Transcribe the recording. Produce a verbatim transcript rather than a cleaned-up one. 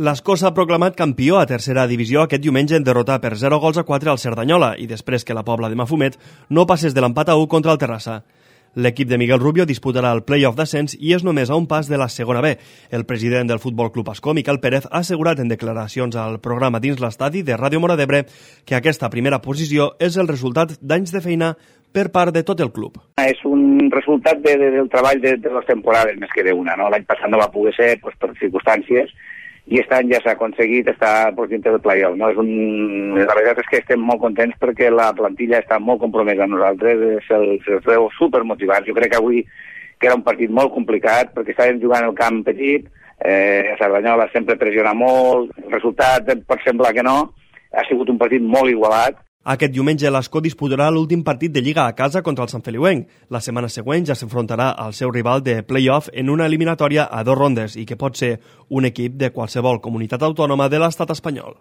L'Escó s'ha proclamat campió a tercera divisió aquest diumenge en derrotar per zero gols a quatre al Cerdanyola i després que la Pobla de Mafumet no passés de l'empat a u contra el Terrassa. L'equip de Miguel Rubio disputarà el play-off d'ascens i és només a un pas de la segona B. El president del Futbol Club Escó, Miquel Pérez, ha assegurat en declaracions al programa Dins l'Estadi de Ràdio Móra d'Ebre que aquesta primera posició és el resultat d'anys de feina per part de tot el club. És un resultat de, de, del treball de, de les temporades més que d'una, no? L'any passat no va poder ser pues, per circumstàncies i aquest any ja s'ha aconseguit estar pues, dintre del play-off. No? És un... La veritat és que estem molt contents perquè la plantilla està molt compromesa amb nosaltres, se'ls veu supermotivats. Jo crec que avui que era un partit molt complicat perquè estàvem jugant al camp petit, eh, a Cerdanyola sempre pressiona molt, el resultat pot semblar que no, ha sigut un partit molt igualat. Aquest diumenge l'Escó disputarà l'últim partit de Lliga a casa contra el Sant Feliuenc. La setmana següent ja s'enfrontarà al seu rival de play-off en una eliminatòria a dos rondes i que pot ser un equip de qualsevol comunitat autònoma de l'estat espanyol.